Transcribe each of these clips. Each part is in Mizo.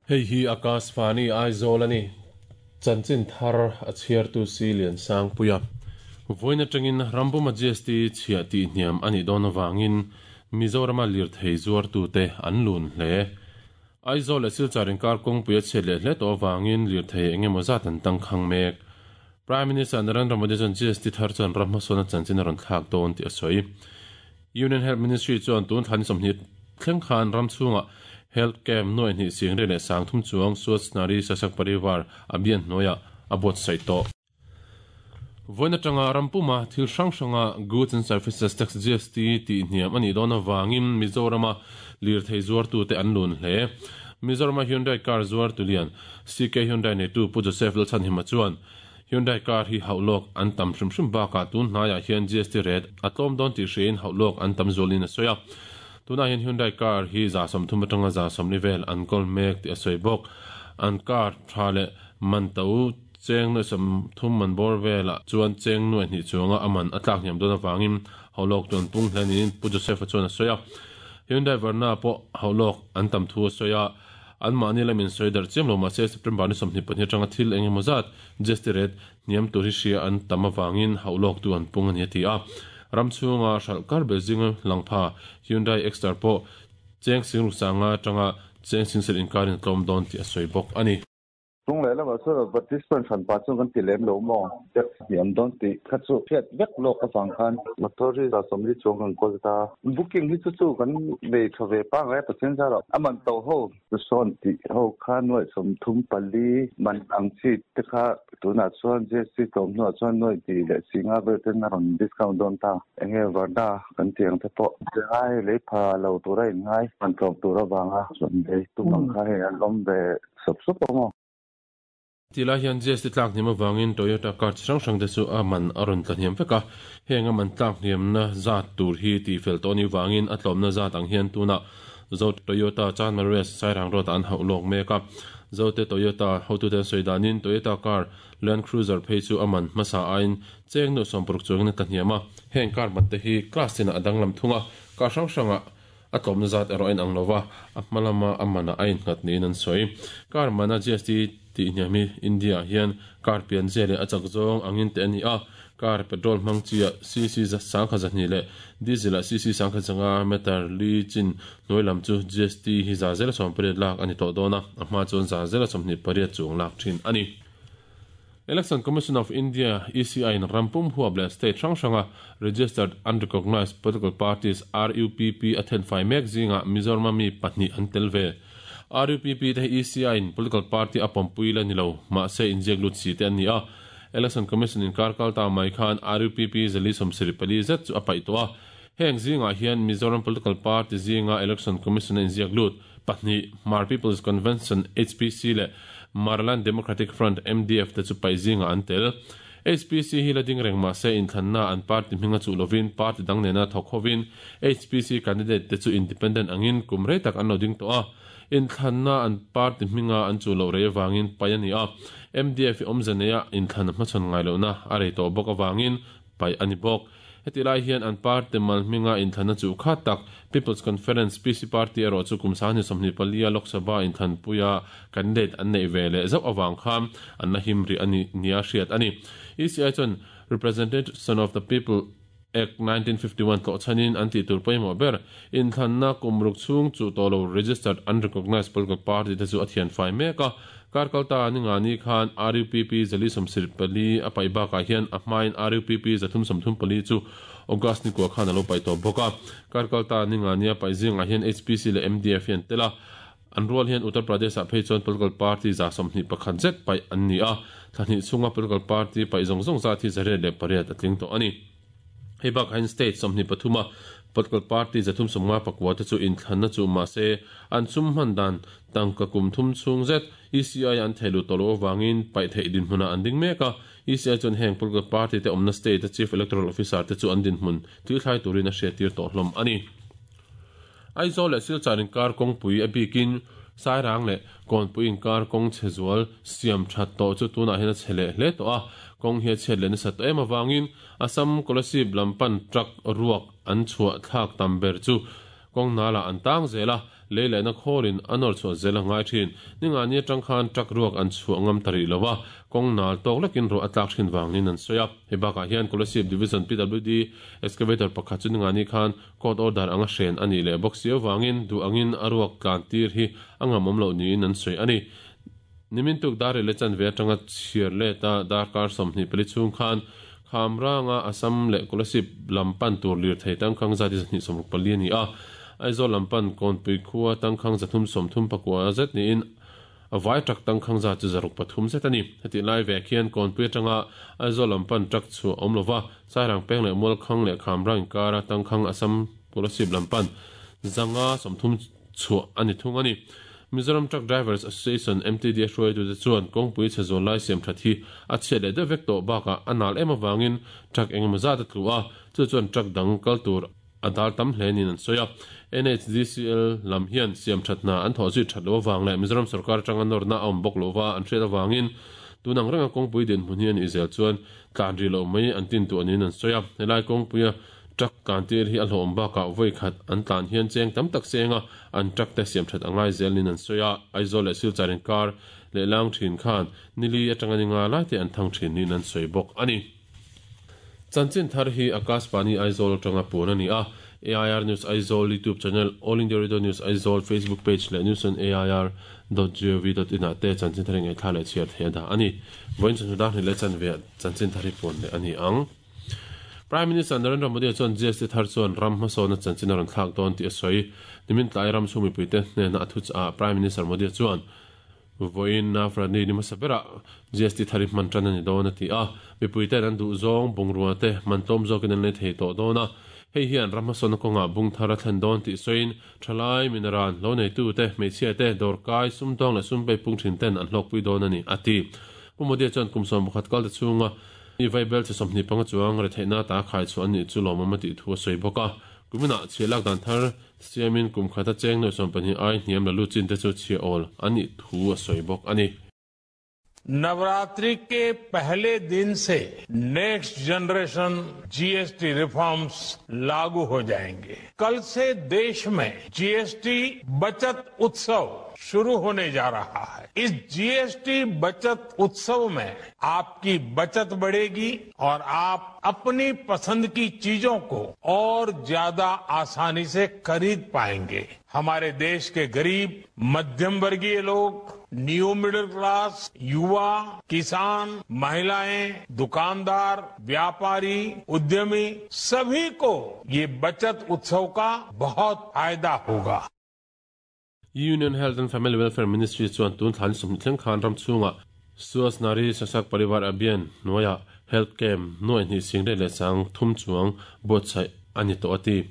Hei hi Akashvani Aizawl a ni. Chanchin thar a chhiartu si Liansangpuia. Vawiin atangin Rambuma GST chhiah tihhniam a nih dawn avangin Mizorama lirthei zuartute an lun hle. Aizawl leh Silchar inkar kawngpui a chhiat leh hle tawh avangin lirthei eng emaw zat an tangkhang mek. Prime Minister Narendra Modi chuan GST thar chuan ram hmasawnna chanchin a rawn thlak dawn tih a sawi. Union Health Ministry chuan tun thla ni 20 thleng khan ram chhungah Health Camp nuai hnih sing riat leh 3000 chuang Swachh Nari Sashakt Parivar Abhiyan hnuaiah a buatsaih tawh. Vawiin atanga ram puma thil hrang hranga Goods and Services Tax, GST, tih hniam a nih dawn avangin Mizorama lirthei zuartute an lun hle. Mizorama Hyundai car zuartu lian CK Hyundai neitu Pu Joseph Lalchhanhima chuan Hyundai car hi hauh lawk an tam hrim hrim bakah tun hnaiah hian GST rate a tlawm dawn tih hriain hauh lawk an tam zualin a sawi a. Tunah hian Hyundai car hi 30% atanga 40% vel an kawl mek tih a sawi bawk. An car tha leh man to cheng nuai 30 man bawr velah chuan cheng nuai hnih chuanga a man a tlak hniam dawn avangin hauh lawk chu an pung hle niin Pu Joseph-a chuan a sawi a. Hyundai Verna pawh hauh lawk an tam thu a sawi a. An mahni lamin sawi darh chiam lo mahse September ni 22 atanga thil eng emaw zat GST rate hniam tur hi hria an tam avangin hauh lawk tu an pung a ni a ti a. Ram chhunga hralh kar ber zinga langpha Hyundai Exter pawh cheng singruk sanga atanga cheng singsel inkarin a tlawm dawn tih a sawi bawk a ni. Chung leh lamah chuan advertisement hran pah chuan kan ti lem lo maw? Tax hniam dawn tih kha chu hriat vek lawk avang khan motor hi 40 chuang kan kawl ta. Booking hi chu chu kan nei tha ve pangngai a Pathian zarah a man to ho chu sawn tih ho kha nuaih 34 man ang chi te kha tunah chuan GST tlawm hnuah chuan nuaih hnih leh singa vel ten a rawn discount dawn ta. Enge Varna kan tih ang te pawh ngai lei pha lo tura in ngai man tlawm tur avanga chuan lei tum ang kha hei an awm ve Sawp sawp ang aw. Tih lai hian GST tlak hniam avangin Toyota car chi hrang hrang te chu a man a rawn tla hniam vek a, heng a man tlak hniamna zat tur hi tih fel tawh anih vangin a tlawmna zat ang hian tunah Zo Toyota Chanmar West Sairang Road ah an hauh lawk mek a. Zote Toyota hotute an sawi danin Toyota car Land Cruiser phei chu a man hmasa aiin cheng nuh 60 chuangin a tla hniam a, heng car man te hi class tinah a danglam thung a, car hrang hrangah A tlawmna zat erawh a inang lo va, a hma lama a manah a innghat niin an sawi. Car mana GST tih hniam hi India-ah hian car pianzia leh a chak zawng angin teh a ni a, car petrol hmang chi-ah cc 1200 leh diesel-ah cc 1500 meter li chin hnuai lam chu GST hi 18% lak a ni tawh dawn a, a hma chuan 28% chuang lak thin a ni. Election Commission of India, ECI, in ram pum huap leh state hrang hranga Registered Unrecognised Political Parties, RUPP, a thenfai mek zingah Mizorama mi pahnih an tel ve. RUPP te hi ECI in political party a pawmpui la ni lo, mahse inziak lut si te an ni a. Election Commission in kar kal ta mai khan RUPP 474 zet chu a paih tawh a. Heng zingah hian Mizoram political party zinga Election Commission a inziak lut pahnih, Hmar People's Convention, HPC, leh Maraland Democratic Front, MDF, te chu paih zingah an tel. HPC hi la ding reng mah se inthlanna an party hminga chuh lovin party dang nena thawk hovin HPC candidate te chu independent angin kum rei tak an lo ding tawh a. Inthlanna an party hminga an chuh loh rei avangin paih a ni a. MDF hi awmze neia inthlan a hmachhawn ngai lohna a rei tawh bawk avangin paih a ni bawk. Heti lai hian an party mal hminga inthlanna chuh khat tak People's Conference, PC, party erawh chu kum 2024 a Lok Sabha inthlanpuia candidate an neih ve leh zauh avang khan an la him rih a ni nia hriat a ni. ECI chuan Representation of the People Act 1951 tlawh chhanin an tih tur pawimawh ber inthlanna kum ruk chhung chuh tawh lo registered unrecognised political party te chu a thianfai mek a. Kar kalta ni nga ni khan RUPP 474 a paih bakah hian a hmain RUPP 334 chu August ni kua khan a lo paih tawh bawk a. Kar kalta ni nga nia paih zingah hian HPC leh MDF hi an tel a. An rual hian Uttar Pradesh-ah phei chuan political party 21 zet paih an ni a. Thla hnih chhunga political party paih zawng zawng zat hi 108 a tling tawh a ni. Hei bakah hian state 23 a political party 359 te chu inthlanna chu mahse an sum hman dan tangka kum thum chhung zet ECI an thei lut tawh loh avangin paih theih dinhmunah an ding mek a. ECI chuan heng political party te awmna state a chief electoral officer te chu an dinhmun thilthlai turin a hriattir tawh hlawm a ni. Aizawl leh Silchar inkar kawngpui a bikin Sairang leh Kawnpui inkar kawng chhe zual siam that tawh chu tunah hian a chhe leh hle tawh a, kawng hi a chhiat leh nasat tawh em avangin Assam Kolasib lam pan truck ruak an chhuah thlak tam ber chu Kawng nalah an tang zel a, lei lehna khawlin a nawr chhuah zel a ngai thin. Ningani atang khan truck ruak an chhuah ngam ta rih lo a, kawng nal tawk lekin ruah a tlak thin vang niin an sawi a. Hei bakah hian Kolasib Division PWD excavator pakhat chu ningani khan court order anga hren a nih leh bawk si avangin duh angin a ruak tlan tir hi a ngamawm loh niin an sawi a ni. Nimin tuk dar rih leh chanve atanga chhiar let a darkar 24 chhung khan Khamranga Assam leh Kolasib lam pan tur lirthei tangkhang zat hi 264 a ni a, Aizawl lam pan Kawnpui khua tangkhang 334 zet niin a vai truck tangkhang zat chu 603 zet a ni. Hetih lai vek hian Kawnpui atanga Aizawl lam pan truck chhuah awm lova Sairang peng leh Mualkhang leh Khamrang inkara tangkhang Assam Kolasib lam pan 530 chhuah a ni thung a ni. Mizoram Truck Drivers Association, MTDA, hruaitute chuan kawngpui chhe zawl lai siam that hi a chhiat leh deuh vek tawh bakah a nal em avangin truck engemaw zat a tlu a, chu chuan truck dang kal tur a dal tam hle niin an sawi a. NHDCL lam hian siam that hna an thawh zui that loh avang leh Mizoram sorkar atanga nawrna a awm bawk lohva an hriat avangin tun ang renga kawngpui dinhmun hi a nih zel chuan tlan rih loh mai an tin tuah niin an sawi a. Helai kawngpuia Truck tlan tir hi a hlawhawm bakah vawi khat an tlan hian cheng tam tak senga an truck te siam that a ngai zel niin an sawi a, Aizawl leh Silchar inkar leh lang thin khan nili atanga ni nga lai te an thang thin niin an sawi bawk a ni. Chanchin thar hi Akashvani Aizawl atanga puan a ni a, AIR News Aizawl YouTube channel, All India Radio News Aizawl Facebook page leh news on air dot gov dot in ah te chanchin thar hi ngaihthla leh chhiar theih a dah a ni. Vawiin chawhnu dar hnih leh chanve ah chanchin thar hi puan leh a ni ang. Prime Minister Narendra Modi chuan GST thar chuan ram hmasawnna chanchin a rawn thlak dawn tih a sawi. Nimin tlai ram chhung mipuite hnena a thuchah ah Prime Minister Modi chuan vawiin Navratri ni hmasa berah GST thar hi hman tan a ni dawn a ti a. Mipuite'n an duh zawng bungrua te man tlawm zawkin an lei thei tawh dawn a. Hei hian ram hmasawnna kawngah bung thar a thlen dawn tih sawiin thalai, minaran, lo neitute, hmeichhia te, dawrkai, sumdawng leh sumpei pung thin ten an hlawkpui dawn a ni, a ti. Pu Modi chuan kum 11 kal te chhunga I vaibel che 25 chuang retheihna ta khai chhuah an nih chu lawmawm a tih thu a sawi bawk a. Kuminah chhia lak dan thar siamin kum khata cheng nuaih 12 ai hniam la lut chin te chu chhia awl an nih thu a sawi bawk a ni. Navratri ke pehle din se next generation GST reforms lagu ho jayenge. Kal se desh mein GST bachat utsav shuru hone ja raha hai. Is GST bachat utsav mein आपकी बचत बढ़ेगी और आप अपनी पसंद की चीजों को और ज्यादा आसानी से खरीद पाएंगे। हमारे देश के गरीब, मध्यम वर्गीय लोग, new middle class, युवा, किसान, महिलाएं, दुकानदार, व्यापारी, उद्यमी सभी को ये बचत उत्सव का बहुत फायदा होगा। Union Health and Family Welfare Ministry chuan tun thlan 20 thleng khan ram chhungah Swasth Nari Sashakt Parivar Abhiyan hnuaiah Health Camp nuaih hnih sing rei leh sang thum chuang buatsaih a ni tawh a ti.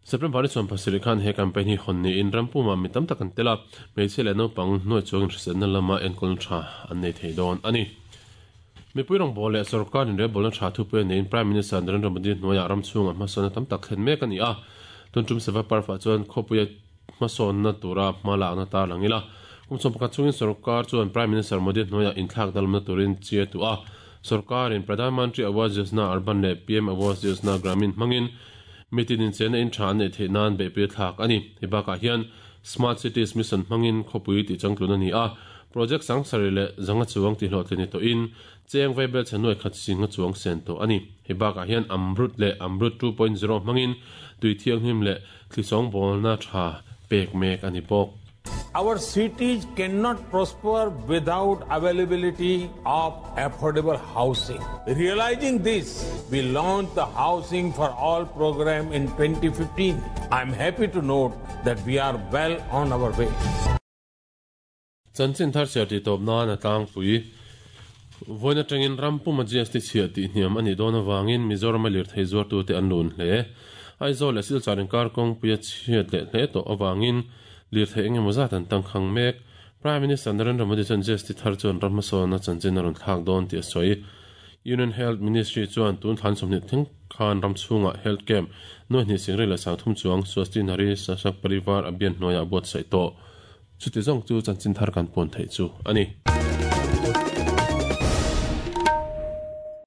September ni 17 khan he campaign hi hawn niin ram pumah mi tam tak an tel a, hmeichhia leh naupang hnuai chuangin hriselna lama enkawl tha an nei thei dawn a ni. Mipui rawngbâwl leh sorkar inrelbawlna tha thupui a neiin Prime Minister Narendra Modi hnuaiah ram chhungah hmasawnna tam tak thlen mek a ni a, tun tum Seva Parv-ah chuan khawpuia hmasawnna tura hma lakna tar lang ila. Kum 11 chungin sorkar chuan Prime Minister Modi hnuaiah inthlak dalawmna turin chi a tuah a. Sorkarin Pradhan Mantri Awas Yojana Urban leh PM Awas Yojana Gramin hmangin mitin inchena in tha an neih theih nan beihpui a thlak a ni. Hei bakah hian Smart Cities Mission hmangin khawpui tih changtlun a ni a. Project sangsarih leh zanga chuang tihhlawhtlin ni tawhin cheng vaibel chhe nuai khat singa chuang sen tawh a ni. Hei bakah hian Amrut leh Amrut 2.0 hmangin tui thianghlim leh thlisawng bawlna tha pek mek a ni bawk. Our cities cannot prosper without availability of affordable housing. Realizing this, we launched the Housing for All program in 2015. I am happy to note that we are well on our way. Chanchin thar chhiar tih tawp nan a tlangpui. Vawiin atangin ram puma GST chhiah tih hniam a nih dawn avangin Mizorama lirthei zuartute an lun hle. Aizawl leh Silchar inkar kawngpui a chhiat leh hle tawh avangin lirthei eng emaw zat an tangkhang mek. Prime Minister Narendra Modi chuan GST thar chuan ram hmasawnna chanchin a rawn thlak dawn tih a sawi. Union Health Ministry chuan tun thlan 20 thleng khan ram chhungah Health Camp nuai hnih sing rei leh 30 chuang Swasti Nari Sashakt Parivar Abhiyan hnuaiah a buatsaih tawh. Chuti zawng chu chanchin thar kan pawn theih chu a ni.